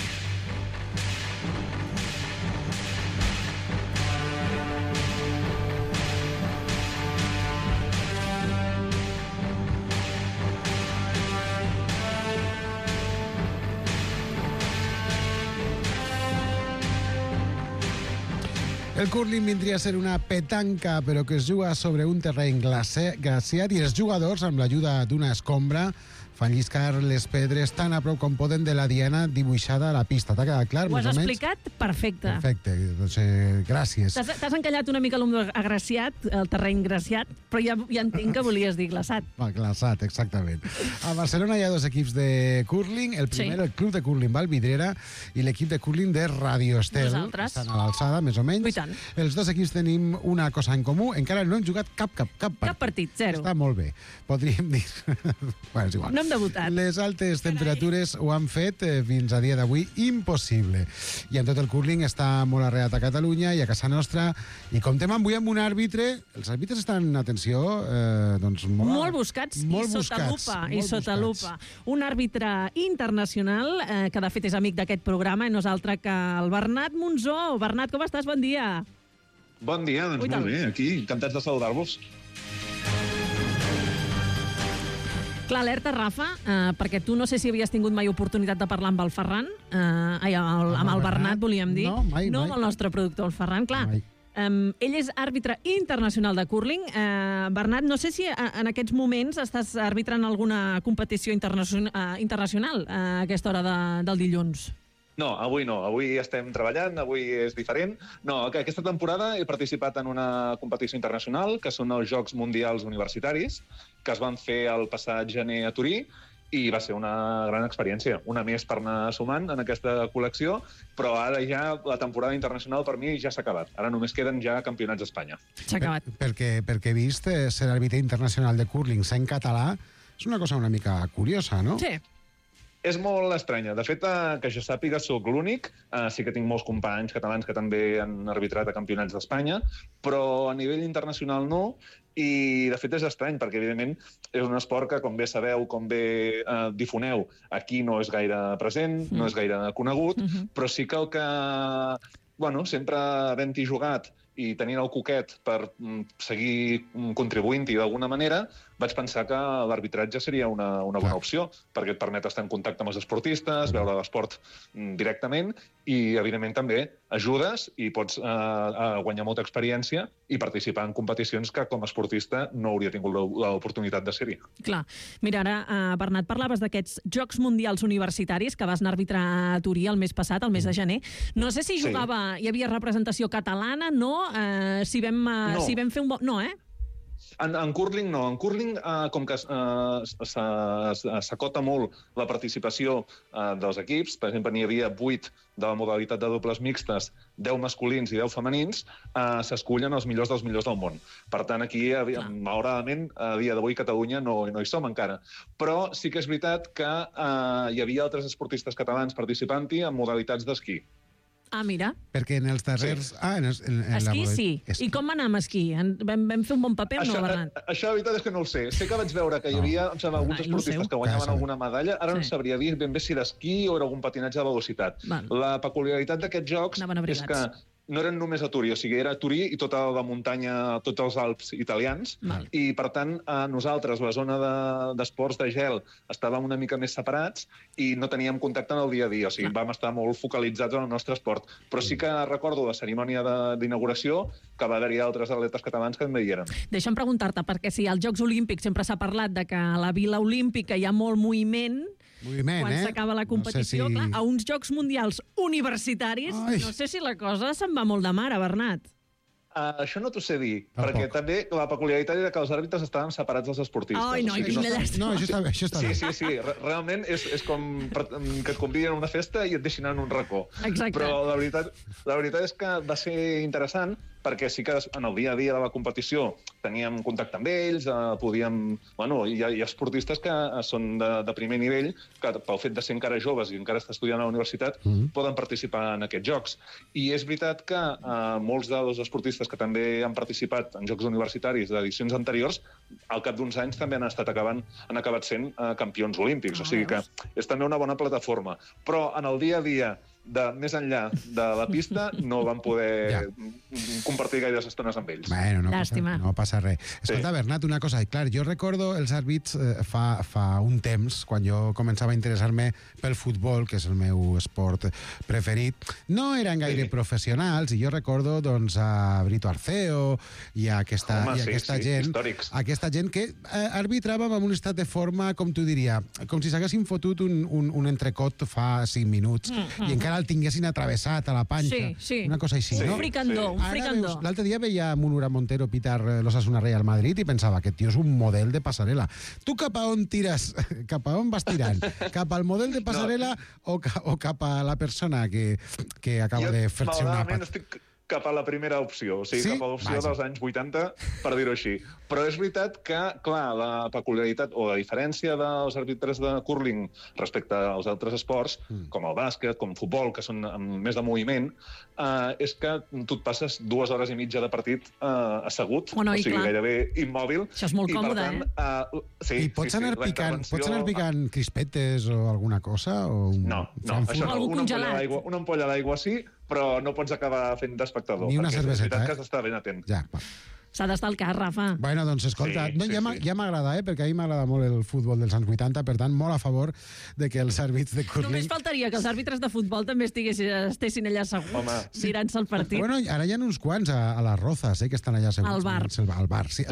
El curling vindria a ser una petanca, però que es juga sobre un terreny glaciat i els jugadors, amb l'ajuda d'una escombra, fan lliscar les pedres tan a prop com poden de la diana dibuixada a la pista. T'ha quedat clar? Ho has explicat perfecte. Perfecte, doncs gràcies. T'has encallat una mica l'ombra agraciat, el terreny graciat, però ja entenc que volies dir glaçat. Glaçat, exactament. A Barcelona hi ha dos equips de curling. El primer, el Club de Curling Valvidrera, i l'equip de curling de Radio Estel. Nosaltres. Estan a l'alçada, més o menys. I tant. Els dos equips tenim una cosa en comú. Encara no hem jugat cap partit. Cap partit, zero. Està molt bé. Podríem dir... bueno, és igual. No hem debutat. Les altes temperatures ho han fet fins a dia d'avui impossible. I en tot el curling està molt arrelat a Catalunya i a casa nostra. I comptem avui amb un àrbitre. Els àrbitres estan, atenció, doncs molt buscats i sota lupa. Un àrbitre internacional que de fet és amic d'aquest programa i no és altre que el Bernat Monzó. Bernat, com estàs? Bon dia. Bon dia, doncs molt bé. Aquí, encantats de saludar-vos. Clar, alerta, Rafa, perquè tu no sé si havies tingut mai oportunitat de parlar amb el Ferran, amb el Bernat, volíem dir. No, mai. No amb el nostre productor, el Ferran, clar. Ell és àrbitre internacional de curling. Bernat, no sé si en aquests moments estàs arbitrant alguna competició internacional a aquesta hora del dilluns. No, avui no. Avui estem treballant, avui és diferent. No, aquesta temporada he participat en una competició internacional, que són els Jocs Mundials Universitaris, que es van fer el passat gener a Turí, i va ser una gran experiència. Una més per anar sumant en aquesta col·lecció, però ara ja la temporada internacional per mi ja s'ha acabat. Ara només queden ja campionats d'Espanya. S'ha acabat. Perquè he vist ser àrbitre internacional de curling en català és una cosa una mica curiosa, no? Sí. És molt estranya. De fet, que jo sàpiga, sóc l'únic. Sí que tinc molts companys catalans que també han arbitrat a campionats d'Espanya, però a nivell internacional no. I, de fet, és estrany, perquè, evidentment, és un esport que, com bé sabeu, com bé difoneu, aquí no és gaire present, no és gaire conegut, però sí que el que, bueno, sempre havent-hi jugat i tenint el coquet per seguir contribuint-hi d'alguna manera, vaig pensar que l'arbitratge seria una bona opció, perquè et permet estar en contacte amb els esportistes, veure l'esport directament i, evidentment, també ajudes i pots guanyar molta experiència i participar en competicions que, com a esportista, no hauria tingut l'oportunitat de ser-hi. Clar. Mira, ara, Bernat, parlaves d'aquests Jocs Mundials Universitaris que vas anar a arbitrar a Turí el mes passat, el mes de gener. No sé si jugava, hi havia representació catalana, no? Si vam fer un bon... No, En curling no. En curling, com que s'acota molt la participació dels equips, per exemple, n'hi havia 8 de la modalitat de dobles mixtes, 10 masculins i 10 femenins, s'escullen els millors dels millors del món. Per tant, aquí, malauradament, a dia d'avui Catalunya no hi som encara. Però sí que és veritat que hi havia altres esportistes catalans participant-hi en modalitats d'esquí. Ah, mira. Perquè en els darrers... Sí. Esquí sí. I com va anar amb esquí? Vam fer un bon paper o no, Bernat? Això, la veritat és que no ho sé. Sé que vaig veure que hi havia alguns esportistes que guanyaven alguna medalla. Ara no sabria dir ben bé si d'esquí o era algun patinatge de velocitat. La peculiaritat d'aquests jocs és que no eren només a Turí, o sigui, era Turí i tota la muntanya, tots els Alps italians, i, per tant, nosaltres, la zona d'esports de gel, estàvem una mica més separats i no teníem contacte en el dia a dia, o sigui, vam estar molt focalitzats en el nostre esport. Però sí que recordo la cerimònia d'inauguració, que va haver-hi altres atletes catalans que em veieren. Deixa'm preguntar-te, perquè si als Jocs Olímpics sempre s'ha parlat de que a la Vila Olímpica hi ha molt moviment, quan s'acaba la competició, clar, a uns Jocs Mundials universitaris, no sé si la cosa se'n va molt de mare, Bernat. Això no t'ho sé dir, perquè també la peculiaritat era que els àrbitres estaven separats dels esportistes. Ai, no, quina llàstima. No, això està bé. Sí, realment és com que et conviden a una festa i et deixin en un racó. Exacte. Però la veritat és que va ser interessant, perquè sí que en el dia a dia de la competició teníem contacte amb ells, podíem... Bueno, hi ha esportistes que són de primer nivell, que pel fet de ser encara joves i encara estar estudiant a la universitat, poden participar en aquests jocs. I és veritat que molts dels esportistes que també han participat en jocs universitaris d'edicions anteriors, al cap d'uns anys també han acabat sent campions olímpics. O sigui que és també una bona plataforma. Però en el dia a dia, més enllà de la pista, no vam poder compartir gaires estones amb ells. Bueno, no passa res. Escolta, Bernat, una cosa. Clar, jo recordo els àrbits fa un temps, quan jo començava a interessar-me pel futbol, que és el meu esport preferit. No eren gaire professionals, i jo recordo doncs, a Brito Arceo i a aquesta gent que arbitrava amb un estat de forma, com tu diria, com si s'haguessin fotut un entrecot fa 5 minuts i encara el tinguessin atravessat a la panxa. Una cosa així, no? Un fricandó. L'altre dia veia Munura Montero pitar l'Osasuna Real Madrid i pensava que, tio, és un model de passarel·la. Tu cap a on tires? Cap a on vas tirant? Cap al model de passarel·la o cap a la persona que acaba de fer-se una pata? Estic cap a la primera opció, o sigui, cap a l'opció dels anys 80, per dir-ho així. Però és veritat que, clar, la peculiaritat o la diferència dels àrbitres de curling respecte als altres esports, com el bàsquet, com el futbol, que són més de moviment, és que tu et passes 2 hores i mitja de partit assegut, o sigui, gairebé immòbil. Això és molt còmode, I pots anar picant crispetes o alguna cosa? No, això no. Una ampolla d'aigua sí, però no pots acabar fent d'espectador. Ni una cerveseta, és veritat que has d'estar ben atent. Ja, s'ha d'estar al cas, Rafa. Bueno, doncs escolta, ja m'agrada, perquè a mi m'agrada molt el futbol dels anys 80, per tant, molt a favor de que els àrbits de curling... Només faltaria que els àrbitres de futbol també estessin allà asseguts, mirant-se el partit. Bueno, ara hi ha uns quants a les Rozas, que estan allà asseguts. Al bar. Al bar, sí. Sí.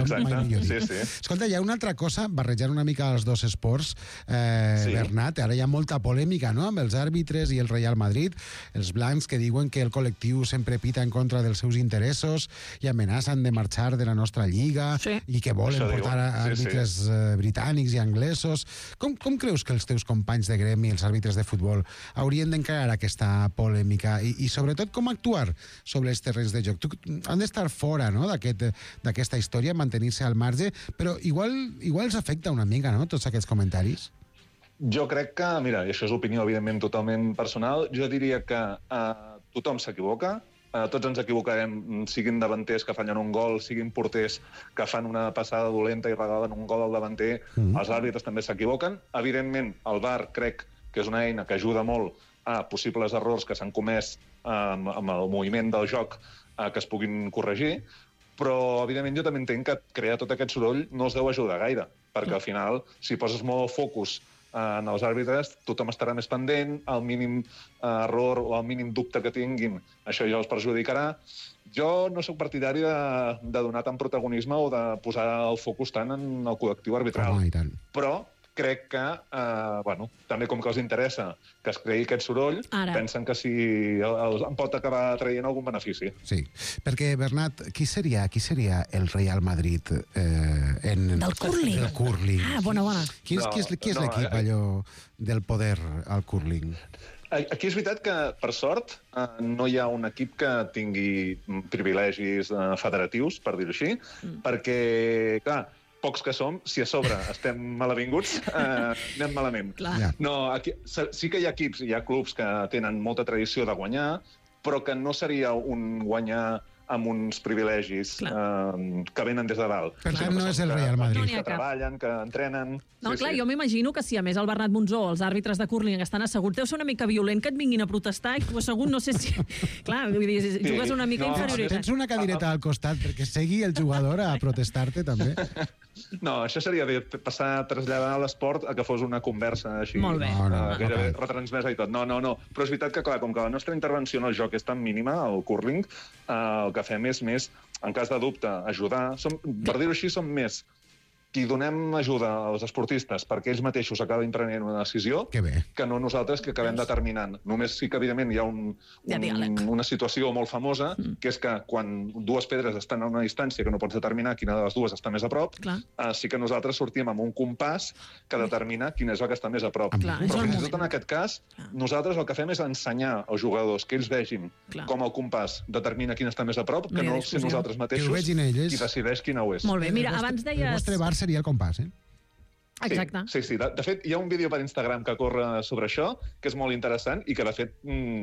Escolta, hi ha una altra cosa, barrejant una mica els dos esports, Bernat, ara hi ha molta polèmica, no?, amb els àrbitres i el Real Madrid, els blancs que diuen que el col·lectiu sempre pita en contra dels seus interessos i amenacen de marxar de la nostra lliga i que volen portar àrbitres britànics i anglesos. Com creus que els teus companys de gremi, els àrbitres de futbol, haurien d'encarar aquesta polèmica i sobretot com actuar sobre els terrenys de joc? Han d'estar fora, no?, d'aquesta història, mantenir-se al marge, però igual els afecta una mica, no?, tots aquests comentaris. Jo crec que, mira, i això és opinió evidentment totalment personal, jo diria que tothom s'equivoca, tots ens equivocarem, siguin davanters que fallen un gol, siguin porters que fan una passada dolenta i regalen un gol al davanter, els àrbitres també s'equivoquen. Evidentment, el VAR crec que és una eina que ajuda molt a possibles errors que s'han comès amb el moviment del joc que es puguin corregir, però evidentment jo també entenc que crear tot aquest soroll no els deu ajudar gaire, perquè al final, si poses molt focus en els àrbitres, tothom estarà més pendent, el mínim error o el mínim dubte que tinguin, això ja els perjudicarà. Jo no sóc partidari de donar tant protagonisme o de posar el focus tant en el col·lectiu arbitral. Però crec que, també com que els interessa que es creï aquest soroll, pensen que si en pot acabar traient algun benefici. Sí, perquè, Bernat, qui seria el Real Madrid del curling? Del curling. Ah, bona. Qui és l'equip allò del poder al curling? Aquí és veritat que, per sort, no hi ha un equip que tingui privilegis federatius, per dir-ho així, perquè, clar, pocs que som, si a sobre estem malavinguts, anem malament. No, aquí, sí que hi ha equips, hi ha clubs que tenen molta tradició de guanyar, però que no seria un guanyar amb uns privilegis que venen des de dalt. Per tant, no és el Real Madrid. Que treballen, que entrenen... No, clar, jo m'imagino que si a més el Bernat Monzó, els àrbitres de curling estan asseguts, deu ser una mica violent que et vinguin a protestar i tu assegut, no sé si... Clar, vull dir, jugues una mica inferioritat. Tens una cadireta al costat perquè segui el jugador a protestar-te, també. No, això seria passar a traslladar l'esport a que fos una conversa així. Molt bé. Gairebé retransmesa i tot. No. Però és veritat que, clar, com que la nostra intervenció en el joc és tan mínima, el curling, el que fem és més, en cas de dubte, ajudar. Per dir-ho així, som més qui donem ajuda als esportistes perquè ells mateixos acabin prenent una decisió que no nosaltres que acabem determinant. Només sí que, evidentment, hi ha una situació molt famosa, que és que quan dues pedres estan a una distància que no pots determinar quina de les dues està més a prop, sí que nosaltres sortim amb un compàs que determina quina és la que està més a prop. Però fins i tot en aquest cas, nosaltres el que fem és ensenyar als jugadors que ells vegin com el compàs determina quina està més a prop, que no ser nosaltres mateixos qui decideix quina ho és. Molt bé, mira, abans deies... El vostre bar seria el compàs, Exacte. Sí. De fet, hi ha un vídeo per Instagram que corre sobre això, que és molt interessant i que, de fet,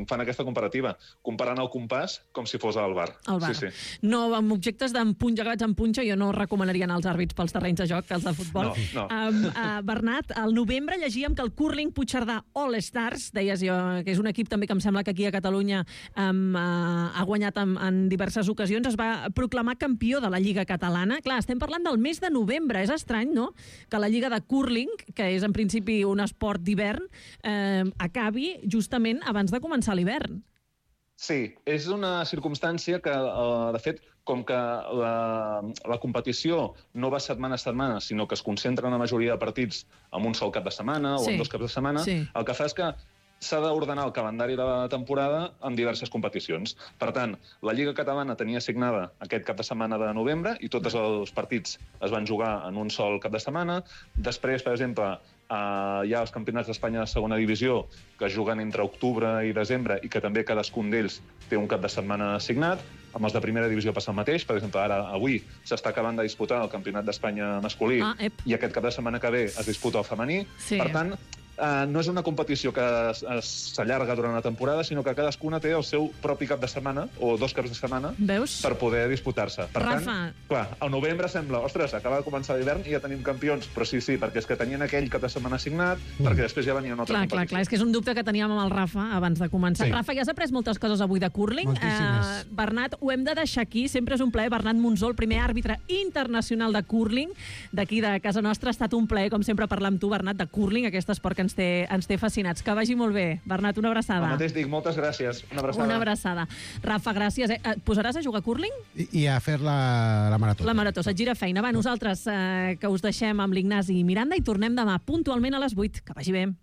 fan aquesta comparativa, comparant el compàs com si fos al bar. Al bar. Sí. No, amb objectes jugats amb punxa, jo no recomanaria anar als àrbits pels terrenys de joc, que els de futbol. No. Bernat, al novembre llegíem que el curling Puigcerdà All Stars, deies jo, que és un equip també que em sembla que aquí a Catalunya ha guanyat en diverses ocasions, es va proclamar campió de la Lliga Catalana. Clar, estem parlant del mes de novembre. És estrany, no?, que la Lliga de curling, que és en principi un esport d'hivern, acabi justament abans de començar l'hivern. Sí, és una circumstància que, de fet, com que la competició no va setmana a setmana, sinó que es concentra en la majoria de partits en un sol cap de setmana o en 2 caps de setmana, el que fa és que s'ha d'ordenar el calendari de la temporada en diverses competicions. Per tant, la Lliga Catalana tenia assignada aquest cap de setmana de novembre i tots els partits es van jugar en un sol cap de setmana. Després, per exemple, hi ha els campionats d'Espanya de segona divisió que es juguen entre octubre i desembre i que també cadascun d'ells té un cap de setmana assignat. Amb els de primera divisió passa el mateix. Per exemple, avui s'està acabant de disputar el campionat d'Espanya masculí i aquest cap de setmana que ve es disputa el femení. Per tant, no és una competició que s'allarga durant la temporada, sinó que cadascuna té el seu propi cap de setmana, o 2 caps de setmana, per poder disputar-se. Per tant, clar, al novembre sembla, ostres, acaba de començar l'hivern i ja tenim campions, però sí, perquè és que tenien aquell cap de setmana assignat, perquè després ja venia una altra competició. Clar, és que és un dubte que teníem amb el Rafa abans de començar. Rafa, ja has après moltes coses avui de curling. Bernat, ho hem de deixar aquí, sempre és un plaer. Bernat Monzó, el primer àrbitre internacional de curling d'aquí de casa nostra. Ha estat un plaer, com sempre, parlar amb tu, Bernat, de curling, aquest esport que ens té fascinats. Que vagi molt bé. Bernat, una abraçada. El mateix dic, moltes gràcies. Una abraçada. Rafa, gràcies. Et posaràs a jugar a curling? I a fer la marató. La marató, se't gira feina. Va, nosaltres que us deixem amb l'Ignasi i Miranda i tornem demà puntualment a les 8. Que vagi bé.